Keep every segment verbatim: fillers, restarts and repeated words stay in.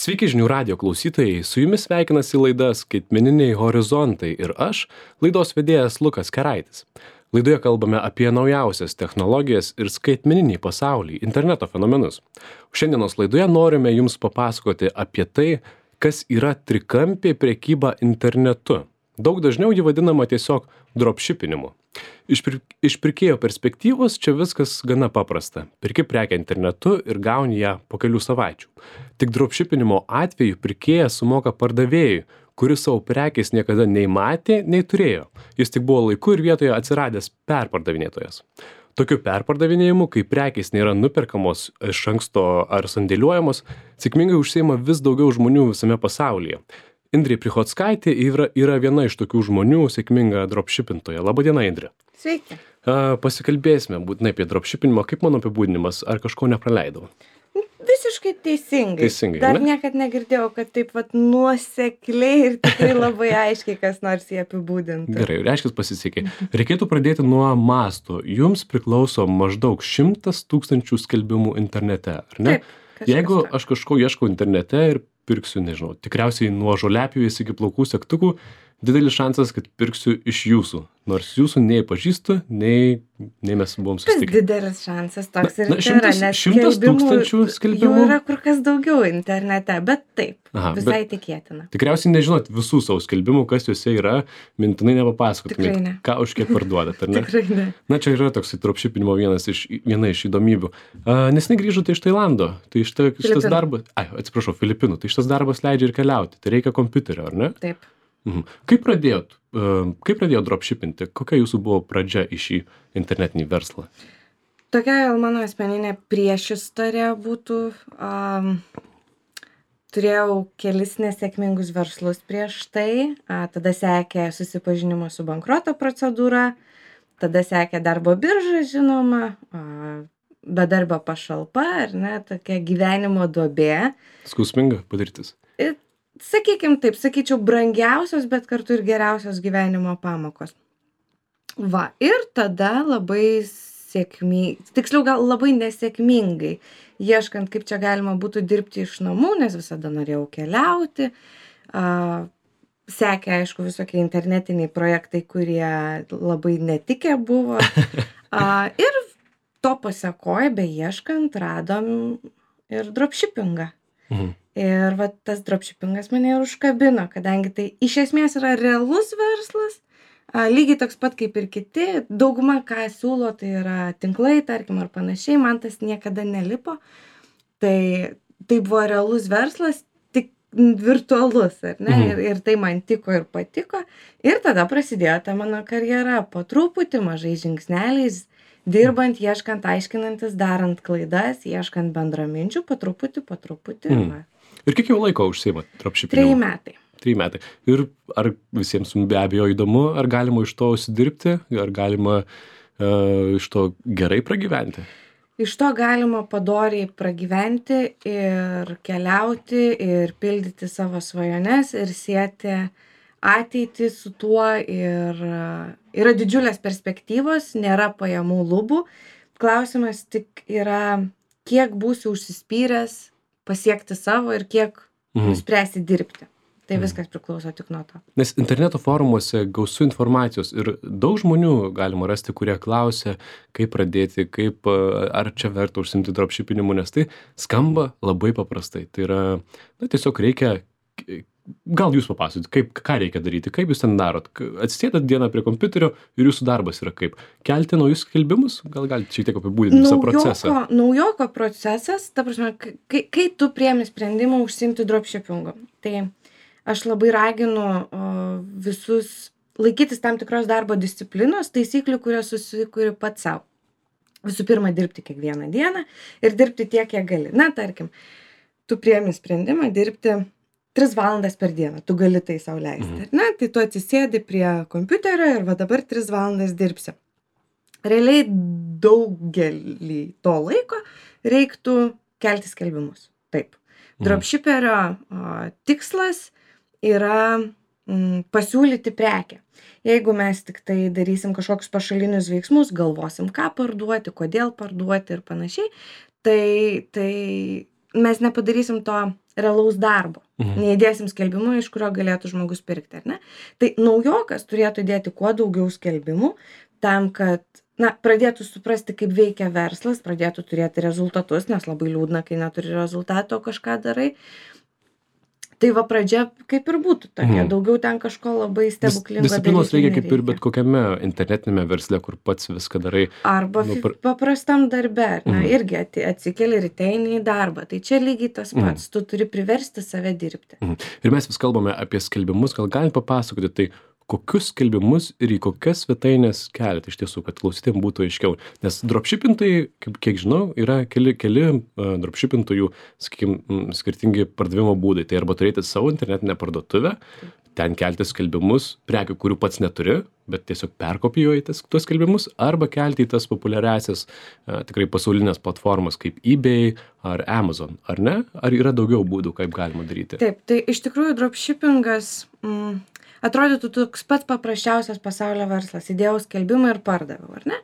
Sveiki žinių radijo klausytojai, su jumis sveikinasi laida Skaitmeniniai horizontai ir aš, laidos vedėjas Lukas Keraitis. Laidoje kalbame apie naujausias technologijas ir skaitmeninį pasaulį, interneto fenomenus. Šiandienos laidoje norime jums papasakoti apie tai, kas yra trikampė prekyba internetu. Daug dažniau ji vadinama tiesiog dropshipinimu. Iš, pir iš pirkėjo perspektyvos čia viskas gana paprasta. Pirki prekę internetu ir gauni ją po kelių savaičių. Tik dropshipinimo atveju pirkėjas sumoka pardavėjui, kuris savo prekės niekada nei matė, nei turėjo. Jis tik buvo laiku ir vietoje atsiradęs perpardavinėtojas. Tokiu perpardavinėjimu, kai prekės nėra nuperkamos iš anksto ar sandėliuojamos, sėkmingai užsiima vis daugiau žmonių visame pasaulyje. Indrė Prichockaitė yra, yra viena iš tokių žmonių, sėkminga dropshipintoja. Labadiena, Indrė. Sveiki. A, pasikalbėsime būtinai apie dropshipinimą. Kaip mano apibūdinimas? Ar kažko nepraleidau? Visiškai teisingai. Teisingai, Dar ne? niekad negirdėjau, kad taip vat nuosekliai ir tikrai labai aiškiai kas nors jį apibūdintų. Gerai, reiškia pasisekė. Reikėtų pradėti nuo masto. Jums priklauso maždaug šimtas tūkstančių skelbimų internete, ar ne? Taip, kažkas Jeigu tokio. aš kažko ieškau internete ir pirksiu, nežinau, tikriausiai nuo žoliapjovės iki plaukų segtukų, didelis šansas, kad pirksiu iš jūsų. Nors jūsų nei pažįstu, nei, nei mes buvom Tas susitikę. didelis šansas toks ir Na, yra, šimtas- nes šimtas skelbimų tūkstančių skelbimų? Jų yra kur kas daugiau internete, bet taip, Aha, visai tikėtina. Tikriausiai nežinot visų savo skelbimų, kas juose yra, mintinai nepapasakotumėt, Tikrai ne. ką už kiek parduodat, ar ne? Tikrai ne. Na, čia yra toks dropshipinimo vienas iš, viena iš įdomybių. Uh, Nesnei grįžote iš Tailando, tai šita, šitas Filipinų. darbas, ai, atsiprašau, Filipinų, tai šitas darbas leidžia ir keliauti, tai reikia kompiuterio, ar ne? Taip. Mhm. Kaip pradėjot, uh, kaip pradėjot dropshipinti, kokia jūsų buvo pradžia į šį internetinį verslą? Tokia gal mano asmeninė priešistorė būtų. Um, turėjau kelis nesėkmingus verslus prieš tai. A, tada sekė susipažinimo su bankroto procedūra. Tada sekė darbo birža, žinoma. A, bedarbio pašalpa, ar ne, tokia gyvenimo duobė. Skausminga patirtis. Ir, sakykim taip, sakyčiau, brangiausios, bet kartu ir geriausios gyvenimo pamokos. Va, ir tada labai sėkmingai, tiksliau gal labai nesėkmingai, ieškant, kaip čia galima būtų dirbti iš namų, nes visada norėjau keliauti. A, sekė, aišku, visokie internetiniai projektai, kurie labai netikė buvo. A, ir to pasekoje, beieškant, radom ir dropshippingą. Mhm. Ir va, tas dropshippingas mane ir užkabino, kadangi tai iš esmės yra realus verslas, a, lygiai toks pat kaip ir kiti. Dauguma, ką siūlo, tai yra tinklai, tarkim, ar panašiai, man tas niekada nelipo. Tai, tai buvo realus verslas, tik virtualus, ar ne? Mhm. Ir, ir tai man tiko ir patiko. Ir tada prasidėjo ta mano karjera po truputį, mažais žingsneliais, dirbant, ieškant, aiškinantis, darant klaidas, ieškant bendraminčių, po truputį, po truputį. Mhm. Va. Ir kiek jau laiko užsiimat Treji dropshipinimu? metai. Trys metai. Ir ar visiems be abejo įdomu, ar galima iš to užsidirbti, ar galima uh, iš to gerai pragyventi? Iš to galima padoriai pragyventi ir keliauti ir pildyti savo svajones ir sieti ateitį su tuo ir uh, yra didžiulės perspektyvos, nėra pajamų lubų. Klausimas tik yra, kiek būsi užsispyręs pasiekti savo ir kiek Mhm. nuspręsi dirbti. Tai viskas priklauso tik nuo to. Nes interneto forumuose gausu informacijos ir daug žmonių galima rasti, kurie klausia, kaip pradėti, kaip, a, ar čia verta užsiimti dropshipinimu, nes tai skamba labai paprastai. Tai yra, na, tiesiog reikia, gal jūs papasakot, kaip, ką reikia daryti, kaip jūs ten darot. K- Atsisėdat dieną prie kompiuterio ir jūsų darbas yra kaip? Kelti naujus skelbimus? Gal galite šiek tiek apibūdinti visą procesą? Naujoko, naujoko procesas, ta prasme, k- kai, kai tu priemi sprendimą užsiimti dropshippingu, tai aš labai raginu o, visus laikytis tam tikros darbo disciplinos, taisyklių, kurias susikuri pats savo. Visų pirma, dirbti kiekvieną dieną ir dirbti tiek, kiek gali. Na, tarkim, tu priemi sprendimą dirbti tris valandas per dieną, tu gali tai sau leisti. Na, tai tu atsisėdi prie kompiuterio ir va dabar tris valandas dirbsi. Realiai daugelį to laiko reiktų kelti skelbimus. Taip. Dropshipperio o, tikslas yra mm, pasiūlyti prekę. Jeigu mes tik tai darysim kažkokius pašalinius veiksmus, galvosim, ką parduoti, kodėl parduoti ir panašiai, tai, tai mes nepadarysim to realaus darbo. Mhm. Neįdėsim skelbimų, iš kurio galėtų žmogus pirkti, ar ne? Tai naujokas turėtų įdėti kuo daugiau skelbimų tam, kad na, pradėtų suprasti, kaip veikia verslas, pradėtų turėti rezultatus, nes labai liūdna, kai neturi rezultato, kažką darai. Tai va pradžia kaip ir būtų tokia, Mhm. daugiau ten kažko labai Dis- stebuklingo Disciplinos daryti reikia kaip ir nereikia. bet kokiame internetinėme versle, kur pats viską darai. Arba nu, fi- par- paprastam darbe, ar ne, Mhm. irgi ati- atsikeli ryte eini į darbą. Tai čia lygiai tas pats, tu turi priversti save dirbti. Mhm. Ir mes vis kalbame apie skelbimus, gal galit papasakoti, tai kokius skelbimus ir į kokias svetainės keliate iš tiesų, kad klausytėm būtų aiškiau. Nes dropshippintojai, kaip kiek žinau, yra keli, keli uh, dropshippintojų, sakykime, skirtingi pardavimo būdai. Tai arba turėti savo internetinę parduotuvę, ten kelti skelbimus, prekių, kurių pats neturi, bet tiesiog perkopijuoji tas, tuos skelbimus, arba kelti į tas populiariasias, uh, tikrai pasaulinės platformas kaip eBay ar Amazon, ar ne? Ar yra daugiau būdų, kaip galima daryti? Taip, tai iš tikrųjų dropshippingas mm, atrodytų toks pats paprasčiausias pasaulio verslas. Įdėjau skelbimą ir pardaviau, ar ne?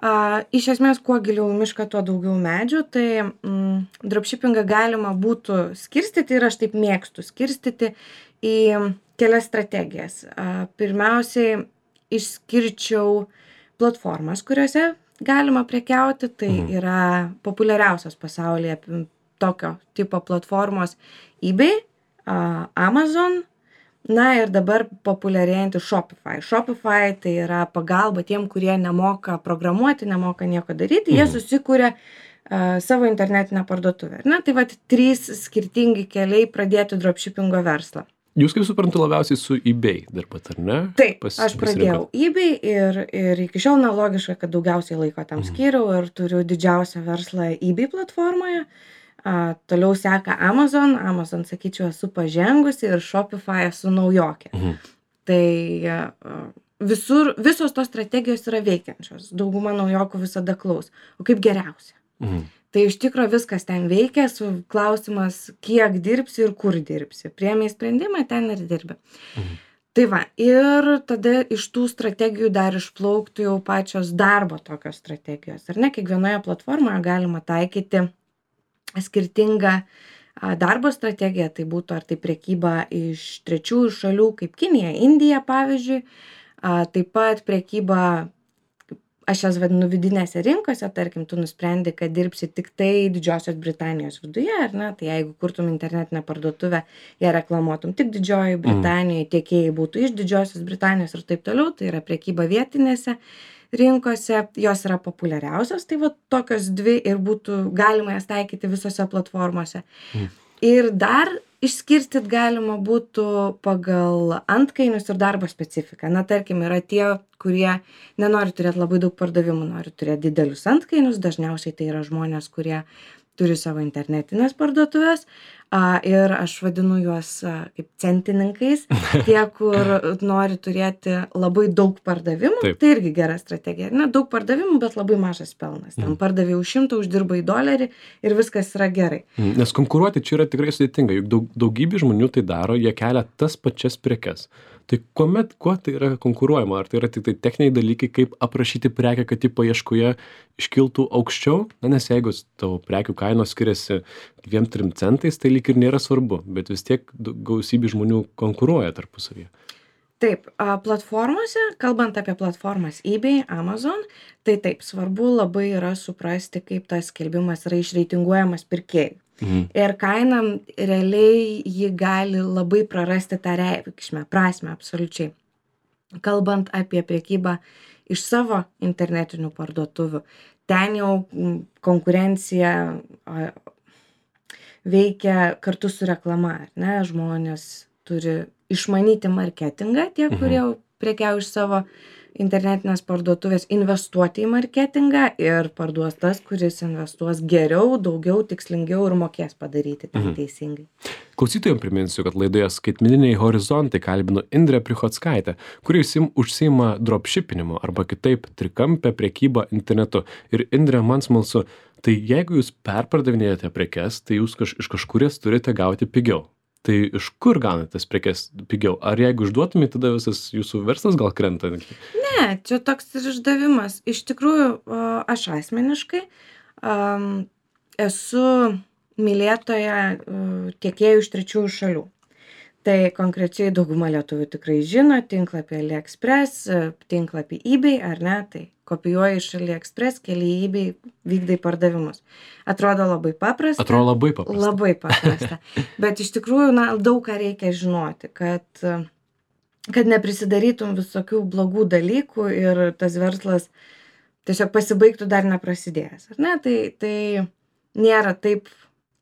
A, iš esmės, kuo giliau į mišką, tuo daugiau medžių, tai mm, dropshippingą galima būtų skirstyti ir aš taip mėgstu skirstyti į kelias strategijas. A, pirmiausiai išskirčiau platformas, kuriuose galima prekiauti, tai Mhm. yra populiariausios pasaulyje p- tokio tipo platformos eBay, a, Amazon, na ir dabar populiarėjanti Shopify. Shopify tai yra pagalba tiem, kurie nemoka programuoti, nemoka nieko daryti, jie Mhm. susikuria a, savo internetinę parduotuvę. Na, tai vat trys skirtingi keliai pradėti dropshippingo verslą. Jūs, kaip suprantu, labiausiai su eBay dirbat, ar ne? Taip, Pas- aš pradėjau eBay ir, ir iki šiol na, logiška, kad daugiausiai laiko tam Mhm. skyriau ir turiu didžiausią verslą eBay platformoje. A, toliau seka Amazon, Amazon, sakyčiau, esu pažengusi ir Shopify esu naujokė. Mhm. Tai a, visur, visos tos strategijos yra veikiančios. Dauguma naujokų visada klaus. O kaip geriausia? Mhm. Tai iš tikro viskas ten veikia, su klausimas, kiek dirbsi ir kur dirbsi. Priėmei sprendimą, ten ir dirbi. Mhm. Tai va, ir tada iš tų strategijų dar išplauktų jau pačios darbo tokios strategijos. Ar ne, kiekvienoje platformoje galima taikyti skirtingą a, darbo strategiją, tai būtų ar tai prekyba iš trečiųjų šalių kaip Kinija, Indija pavyzdžiui, a, taip pat prekyba, aš jas vadinu vidinėse rinkose, tarkim, tu nusprendi, kad dirbsi tik tai Didžiosios Britanijos viduje, ar ne, tai jeigu kurtum internetinę parduotuvę, ją reklamuotum tik Didžiojoje Britanijoje, tiekėjai būtų iš Didžiosios Britanijos ir taip toliau, tai yra prekyba vietinėse rinkose, jos yra populiariausios, tai va tokios dvi ir būtų galima jas taikyti visose platformose. Mhm. Ir dar išskirstyt galima būtų pagal antkainius ir darbo specifiką. Na, tarkim, yra tie, kurie nenori turėti labai daug pardavimų, nori turėti didelius antkainius, dažniausiai tai yra žmonės, kurie turi savo internetinės parduotuvės a, ir aš vadinu juos a, kaip centininkais, tie, kur nori turėti labai daug pardavimų, Taip. tai irgi gera strategija. Na, daug pardavimų, bet labai mažas pelnas. Ten Mhm. pardavė už šimtą, uždirba į dolerį ir viskas yra gerai. Mhm. Nes konkuruoti čia yra tikrai sudėtinga, juk daug, daugybė žmonių tai daro, jie kelia tas pačias prekes. Tai kuomet, kuo tai yra konkuruojama? Ar tai yra tik tai techniniai dalykai, kaip aprašyti prekę, kad ji paieškoje iškiltų aukščiau? Na, nes jeigu tavo prekių kainos skiriasi dviem trim centais, tai lyg ir nėra svarbu, bet vis tiek du- gausybė žmonių konkuruoja tarpusavyje. Taip, a, platformose, kalbant apie platformas eBay, Amazon, tai taip, svarbu labai yra suprasti, kaip tas skelbimas yra išreitinguojamas pirkėjui. Mhm. Ir kaina realiai ji gali labai prarasti tą reikšmę, prasme absoliučiai. Kalbant apie priekybą iš savo internetinių parduotuvių, ten jau mm, konkurencija a, veikia kartu su reklama, ar ne? Žmonės turi išmanyti marketingą, tie, Mhm. kurie prekiauja iš savo internetinės parduotuvės, investuoti į marketingą ir parduos tas, kuris investuos geriau, daugiau, tikslingiau ir mokės padaryti tai Mhm. teisingai. Klausytojams priminsiu, kad laidoje skaitmeniniai horizontai kalbinu Indrę Prichockaitę, kuri užsim- užsiima dropshippinimu arba kitaip trikampę prekybą internetu. Ir Indrė, man smalsu, tai jeigu jūs perpardavinėjate prekes, tai jūs kaž, iš kažkur jas turite gauti pigiau. Tai iš kur gaunate tas prekes pigiau? Ar jeigu išduotumėte, tada visas jūsų verslas gal krenta? Ne, čia toks ir išdavimas. Iš tikrųjų, a, aš asmeniškai am, esu mylėtoja uh, tiekėjų iš trečiųjų šalių. Tai konkrečiai dauguma lietuvių tikrai žino tinklapį AliExpress, tinklapį eBay, ar ne, tai kopijuoji iš AliExpress, keli į eBay, vykdai pardavimus. Atrodo labai paprasta. Atrodo labai paprasta. Labai paprasta. Bet iš tikrųjų, na, daug ką reikia žinoti, kad, kad neprisidarytum visokių blogų dalykų ir tas verslas tiesiog pasibaigtų dar neprasidėjęs. Ar ne? Tai, tai nėra taip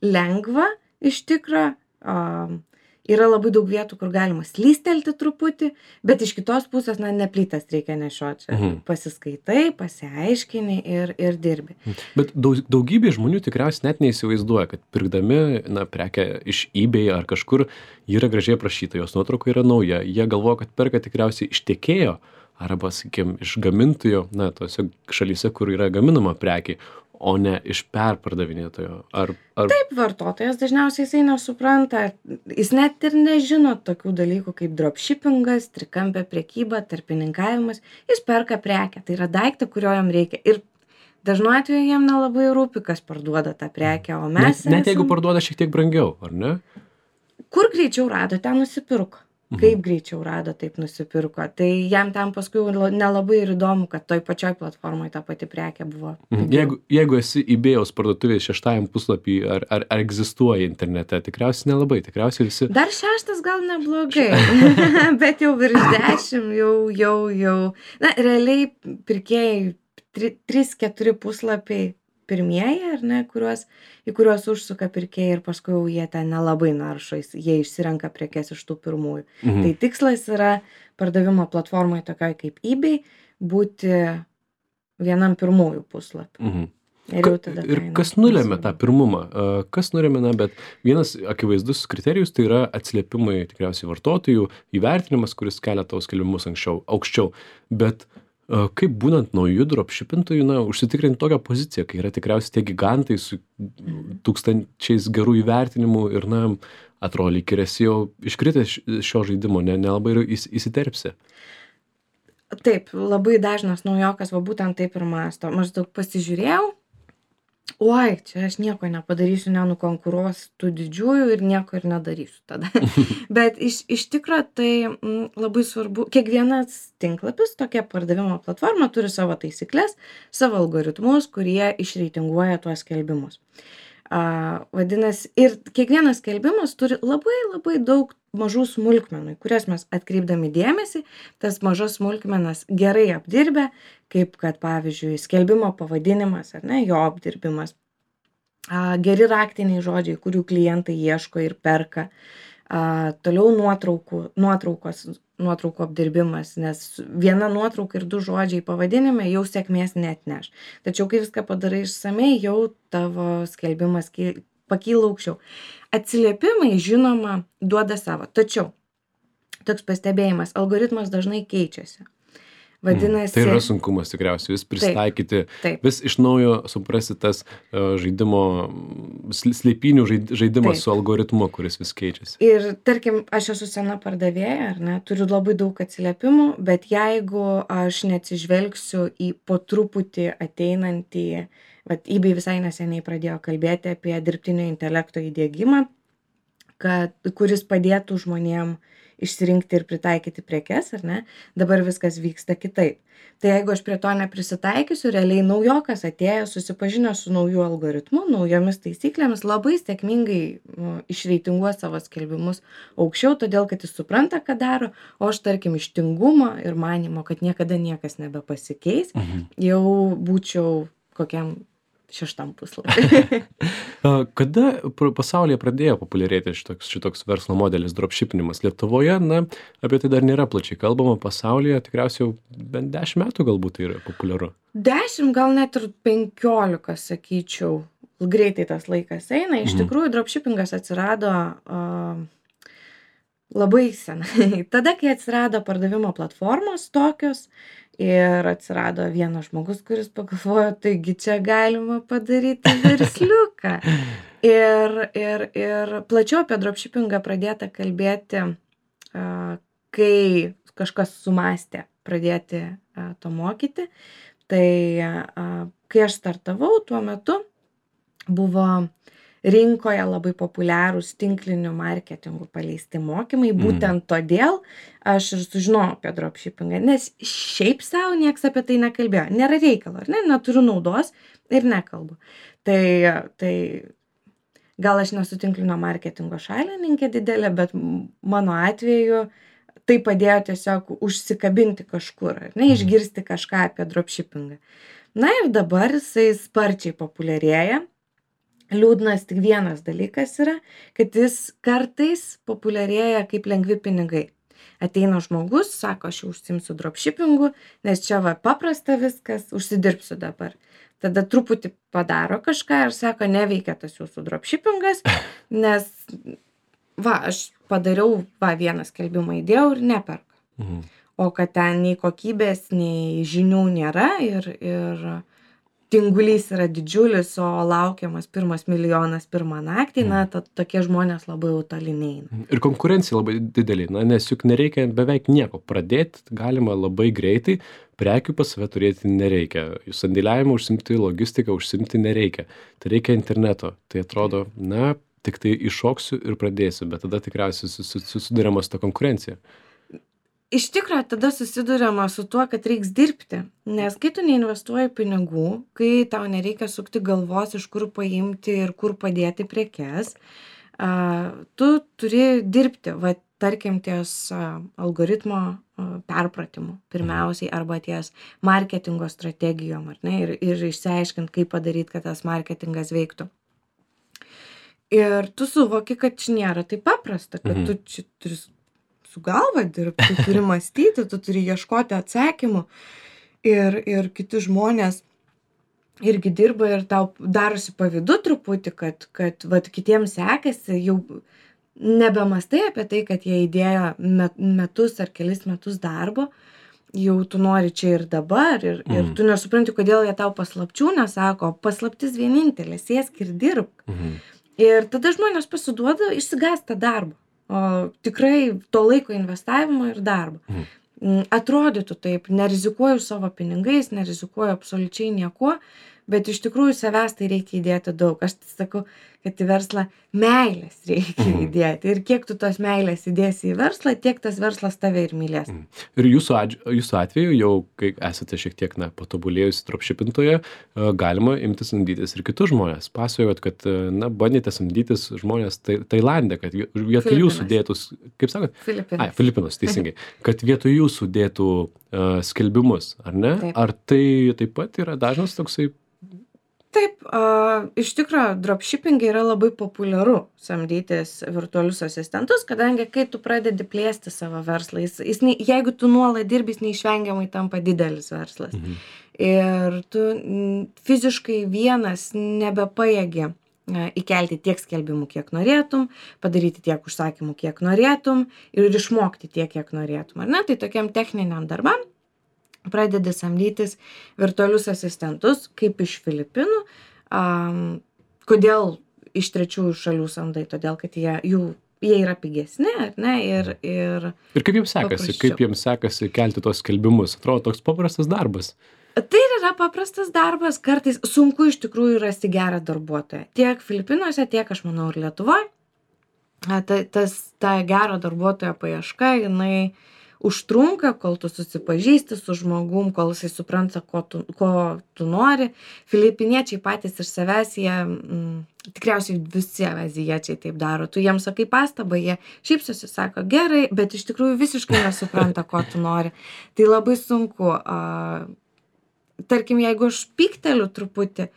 lengva iš tikro. Um, Yra labai daug vietų, kur galima slystelti truputį, bet iš kitos pusės, na, neplytas reikia nešioti. Mhm. Pasiskaitai, pasiaiškini ir, ir dirbi. Bet daug, daugybė žmonių tikriausiai net neįsivaizduoja, kad pirkdami, na, prekę iš eBay ar kažkur, ji yra gražiai aprašyta, jos nuotrauka yra nauja. Jie galvoja, kad perka tikriausiai iš tiekėjo arba, sakykim, iš gamintojo, na, tose šalyse, kur yra gaminama prekė, o ne iš perpardavinėtojo. Ar, ar... Taip, vartotojas dažniausiai jisai nesupranta, jis net ir nežino tokių dalykų kaip dropshippingas, trikampė prekyba, tarpininkavimas, jis perka prekę, tai yra daiktą, kurio jam reikia. Ir dažnu atveju jam nelabai rūpi, kas parduoda tą prekę, o mes... Net, net esam... jeigu parduoda šiek tiek brangiau, ar ne? Kur greičiau rado, ten nusipirko. Kaip greičiau rado, taip nusipirko. Tai jam ten paskui nelabai ir įdomu, kad toj pačioj platformoj ta pati prekė buvo. Mhm. Jeigu, jeigu esi eBay'aus parduotuvės šeštajam puslapį, ar, ar, ar egzistuoja internete, tikriausiai nelabai, tikriausiai visi... Dar šeštas gal neblogai, bet jau virš dešimt, jau, jau, jau... Na, realiai pirkėjai trys keturi puslapiai pirmieji, ar ne, kuriuos, į kuriuos užsuka pirkėjai ir paskui jau jie ten nelabai naršo, jie išsirenka prekes iš tų pirmųjų. Mhm. Tai tikslas yra pardavimo platformoje tokioj kaip eBay būti vienam pirmųjų puslapių. Mhm. Ir, ir kas nulėmė tą pirmumą? Kas nulėmė, na, bet vienas akivaizdus kriterijus tai yra atsiliepimai tikriausiai vartotojų, įvertinimas, kuris kelia tavo skelbimus anksčiau, aukščiau. Bet kaip būnant naujų dropshippintojų, na, užsitikrinti tokią poziciją, kai yra tikriausiai tie gigantai su tūkstančiais gerų įvertinimų ir, na, atrodo, lyg ir esi jau iškritęs šio žaidimo, ne, nelabai įsiterpsi. Taip, labai dažnas naujokas va būtent taip ir mąsto. Maždaug pasižiūrėjau, oi, čia aš nieko nepadarysiu, nenukonkuruosiu tų didžiųjų ir nieko ir nedarysiu tada. Bet iš, iš tikro tai m, labai svarbu, kiekvienas tinklapis, tokia pardavimo platforma turi savo taisyklės, savo algoritmus, kurie išreitinguoja tuos skelbimus. A, vadinasi, ir kiekvienas skelbimas turi labai labai daug mažų smulkmenų, kurias mes atkreipdami dėmesį, tas mažas smulkmenas gerai apdirbę, kaip kad, pavyzdžiui, skelbimo pavadinimas, ar ne, jo apdirbimas, a, geri raktiniai žodžiai, kurių klientai ieško ir perka, a, toliau nuotraukų, nuotraukos, nuotraukų apdirbimas, nes viena nuotrauka ir du žodžiai pavadinime jau sėkmės neatneš. Tačiau, kai viską padarai išsamei, jau tavo skelbimas pakyla aukščiau. Atsiliepimai, žinoma, duoda savo. Tačiau, toks pastebėjimas, algoritmas dažnai keičiasi. Vadinasi... Tai yra sunkumas tikriausiai, vis pristaikyti, taip, taip. Vis iš naujo suprasti tas uh, žaidimo, slėpinių žaidimas taip. Su algoritmu, kuris vis keičiasi. Ir tarkim, aš esu sena pardavėja, ar ne, turiu labai daug atsiliepimų, bet jeigu aš neatsižvelgsiu į po truputį ateinantį, vat eBay visai neseniai pradėjo kalbėti apie dirbtinio intelekto įdiegimą, kad, kuris padėtų žmonėm išsirinkti ir pritaikyti prekes, ar ne, dabar viskas vyksta kitaip. Tai jeigu aš prie to neprisitaikysiu, realiai naujokas atėjęs, susipažinęs su nauju algoritmu, naujomis taisyklėmis, labai sėkmingai nu, išreitinguos savo skelbimus aukščiau, todėl kad jis supranta, ką daro, o aš, tarkim, iš tingumo ir manimo, kad niekada niekas nebepasikeis, mhm. jau būčiau kokiam šeštam puslapį. Kada pasaulyje pradėjo populiarėti šitoks, šitoks verslo modelis dropshippinimas? Lietuvoje, na, apie tai dar nėra plačiai kalbama, pasaulyje tikriausiai jau bent dešimt metų galbūt tai yra populiaru. Dešimt, gal net ir penkiolika, sakyčiau. Greitai tas laikas eina. Iš mhm. tikrųjų, dropshippingas atsirado uh, labai senai. Tada, kai atsirado pardavimo platformos tokios, ir atsirado vienas žmogus, kuris pagalvojo, taigi čia galima padaryti versliuką. Ir, ir, ir plačiau apie dropshippingą pradėta kalbėti, kai kažkas sumastė pradėti to mokyti. Tai kai aš startavau, tuo metu buvo rinkoje labai populiarūs tinkliniu marketingu paleisti mokymai. Būtent todėl aš ir sužinojau apie dropshippingą, nes šiaip savo nieks apie tai nekalbėjo. Nėra reikalo, ar ne? Neturiu naudos ir nekalbu. Tai, tai gal aš nesu tinklinio marketingo šalininkė didelė, bet mano atveju tai padėjo tiesiog užsikabinti kažkur, ar ne, išgirsti kažką apie dropshippingą. Na ir dabar jisai sparčiai populiarėja. Liūdnas tik vienas dalykas yra, kad jis kartais populiarėja kaip lengvi pinigai. Ateina žmogus, sako, aš jau užsiimsiu dropshippingu, nes čia va paprasta viskas, užsidirbsiu dabar. Tada truputį padaro kažką ir sako, neveikia tas jūsų dropshippingas, nes va, aš padariau, va, vieną skelbimą įdėjau ir neperka. Mhm. O kad ten nei kokybės, nei žinių nėra ir, ir tingulys yra didžiulis, o laukiamas pirmas milijonas pirmą naktį, na, to, tokie žmonės labai jau toli neina. Ir konkurencija labai didelė, na, nes juk nereikia beveik nieko. Pradėti galima labai greitai, prekių pas save turėti nereikia. Sandėliavimą užsimti, logistiką užsimti nereikia. Tai reikia interneto. Tai atrodo, na, tik tai iššoksiu ir pradėsiu, bet tada tikriausiai susiduriama su ta konkurencija. Iš tikrųjų, tada susiduriama su tuo, kad reiks dirbti, nes kai tu neinvestuoji pinigų, kai tau nereikia sukti galvos, iš kur paimti ir kur padėti prekes, tu turi dirbti, va, tarkim, ties algoritmo perpratimu pirmiausiai arba ties marketingo strategijom, ar ne, ir, ir išsiaiškint, kaip padaryti, kad tas marketingas veiktų. Ir tu suvoki, kad čia nėra taip paprasta, kad Mhm. tu čia turi su galva dirbti, tu turi mąstyti, tu turi ieškoti atsakymų ir, ir kiti žmonės irgi dirba ir tau darosi pavydu truputį, kad, kad vat, kitiems sekasi, jau nebemastai apie tai, kad jie įdėjo met, metus ar kelis metus darbo, jau tu nori čia ir dabar ir, Mhm. ir tu nesupranti, kodėl jie tau paslapčių nesako, paslaptis vienintelė, sėsk ir dirbk. Mhm. Ir tada žmonės pasiduoda, išsigąsta darbo. O tikrai to laiko investavimo ir darbo. Mhm. Atrodytų taip, nerizikuoju savo pinigais, nerizikuoju absoliučiai niekuo, bet iš tikrųjų savęs tai reikia įdėti daug. Aš sakau, kad į verslą meilės reikia Mhm. įdėti. Ir kiek tu tos meilės įdėsi į verslą, tiek tas verslas tave ir mylės. Mhm. Ir jūsų, adž... jūsų atveju, jau kai esate šiek tiek na, patobulėjusi dropshippintoje, galima imti samdytis ir kitus žmonės. Pasakojot, kad na, bandėte samdytis žmonės tai, Tailande, kad vietoj jūsų dėtus, kaip sakot? Filipinas. Ai, Filipinos, teisingai. Kad vietoj jūsų dėtų uh, skelbimus, ar ne? Taip. Ar tai taip pat yra dažnas toksai? Taip, a, iš tikrųjų, dropshippingai yra labai populiaru samdytis virtualius asistentus, kadangi kai tu pradedi plėsti savo verslą, jis, jis, ne- jeigu tu nuolat dirbi, jis neišvengiamai tampa didelis verslas. Mhm. Ir tu mm, fiziškai vienas nebepajėgi a, įkelti tiek skelbimų, kiek norėtum, padaryti tiek užsakymų, kiek norėtum ir išmokti tiek, kiek norėtum. Ar ne? Tai tokiam techniniam darbam pradedi samdytis virtualius asistentus, kaip iš Filipinų. Um, kodėl iš trečiųjų šalių samdai? Todėl, kad jie, jų, jie yra pigesni, ar ne? Ir, ir Ir kaip jums sekasi? Paprasčiau. Kaip jums sekasi kelti tos skelbimus? Atrodo, toks paprastas darbas. tai ir yra paprastas darbas, kartais sunku iš tikrųjų rasti gerą darbuotoją. Tiek Filipinuose, tiek, aš manau, ir Lietuvoje. A, Ta, tas, ta gero darbuotojo paieška, jinai užtrunka, kol tu susipažįsti su žmogum, kol jisai supranta, ko tu, ko tu nori. Filipiniečiai patys iš savęs, jie, mm, tikriausiai visi azijiečiai taip daro. Tu jiems sakai pastabą, jie šypsosi, sako gerai, bet iš tikrųjų visiškai nesupranta, ko tu nori. Tai labai sunku. A, tarkim, jeigu aš pykteliu truputį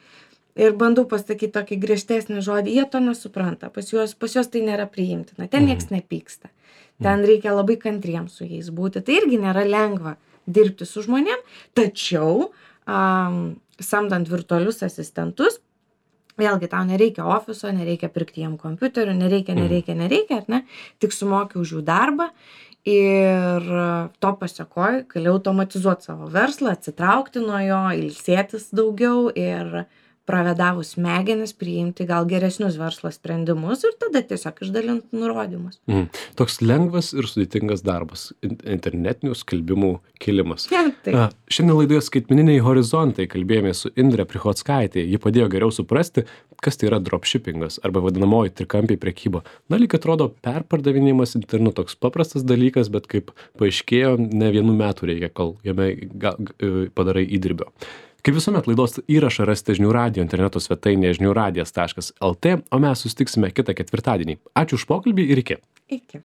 ir bandau pasakyti tokį griežtesnį žodį, jie to nesupranta. Pas juos, pas juos tai nėra priimtina. Ten nieks nepyksta. Ten reikia labai kantriems su jais būti. Tai irgi nėra lengva dirbti su žmonėm, tačiau um, samdant virtualius asistentus, vėlgi tau nereikia ofiso, nereikia pirkti jiem kompiuterių, nereikia, nereikia, nereikia, ar ne, tik sumoki už jų darbą ir to pasekoj gali automatizuoti savo verslą, atsitraukti nuo jo, ilsėtis daugiau ir pravedavus smegenis priimti gal geresnius verslo sprendimus ir tada tiesiog išdalint nurodymus. Mm. Toks lengvas ir sudėtingas darbas in- internetinių skelbimų kilimas. Ja, taip. A, Šiandien laidoje skaitmeniniai horizontai kalbėjome su Indre Prichockaitė. Ji padėjo geriau suprasti, kas tai yra dropshippingas arba vadinamoji trikampiai prekyba. Na, lyg atrodo, perpardavinėjimas internetu toks paprastas dalykas, bet kaip paaiškėjo, ne vienų metų reikia, kol jame ga, g, padarai įdirbio. Kaip visuomet laidos įrašą rasite žinių radijo interneto svetainėje žinių radijas taškas lt, o mes susitiksime kitą ketvirtadienį. Ačiū už pokalbį ir iki. Iki.